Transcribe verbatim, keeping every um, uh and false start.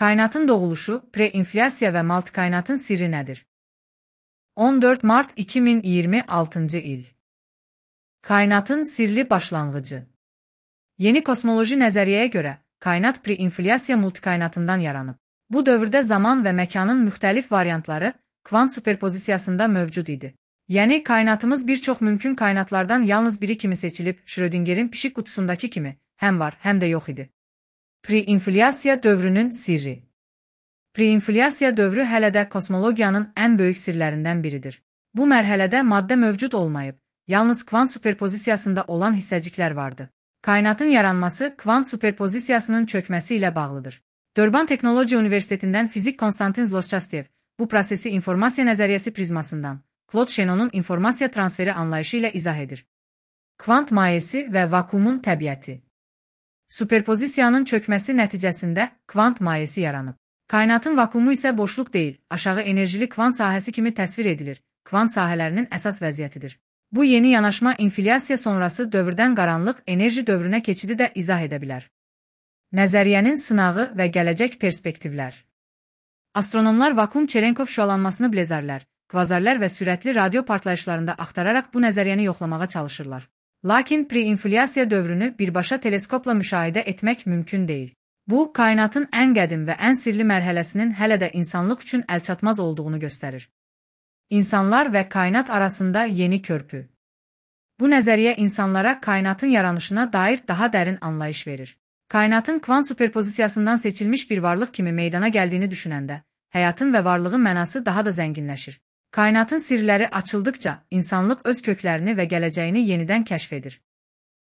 Kainatın doğuluşu, preinflyasiya ve multikainatın sirri nedir? on dörd Mart iki min iyirmi altıncı il. Kainatın sirli başlanğıcı. Yeni kosmoloji nəzəriyyəyə görə, kainat preinflyasiya multikainatından yaranıb. Bu dövrdə zaman və məkanın müxtəlif variantları kvant superpozisiyasında mövcud idi. Yəni, kainatımız bir çox mümkün kainatlardan yalnız biri kimi seçilib, Schrödingerin pişik qutusundakı kimi, həm var, həm də yox idi. Preinflyasiya dövrünün sirri. Preinflyasiya dövrü hələ də kosmologiyanın ən böyük sirlərindən biridir. Bu mərhələdə maddə mövcud olmayıb, yalnız kvant superpozisiyasında olan hissəciklər vardı. Kainatın yaranması kvant superpozisiyasının çökməsi ilə bağlıdır. Durban Texnologiya Universitetindən fizik Konstantin Zloschastyev bu prosesi informasiya nəzəriyyəsi prizmasından, Claude Shannonun informasiya transferi anlayışı ilə izah edir. Kvant mayesi və vakuumun təbiəti. Superpozisiyanın çökməsi nəticəsində kvant mayesi yaranıb. Kainatın vakuumu isə boşluq deyil, aşağı enerjili kvant sahəsi kimi təsvir edilir, kvant sahələrinin əsas vəziyyətidir. Bu yeni yanaşma inflyasiya sonrası dövrdən qaranlıq enerji dövrünə keçidi də izah edə bilər. Nəzəriyyənin sınağı və gələcək perspektivlər. Astronomlar vakuum Cherenkov şüalanmasını blezarlər, kvazarlar və sürətli radio partlayışlarında axtararaq bu nəzəriyyəni yoxlamağa çalışırlar. Lakin preinflyasiya dövrünü birbaşa teleskopla müşahidə etmək mümkün deyil. Bu, kainatın ən qədim və ən sirli mərhələsinin hələ də insanlıq üçün əlçatmaz olduğunu göstərir. İnsanlar və kainat arasında yeni körpü. Bu nəzəriyyə insanlara kainatın yaranışına dair daha dərin anlayış verir. Kainatın kvant superpozisiyasından seçilmiş bir varlıq kimi meydana gəldiyini düşünəndə, həyatın və varlığın mənası daha da zənginləşir. Kainatın sirləri açıldıkca, insanlıq öz köklərini və gələcəyini yenidən kəşf edir.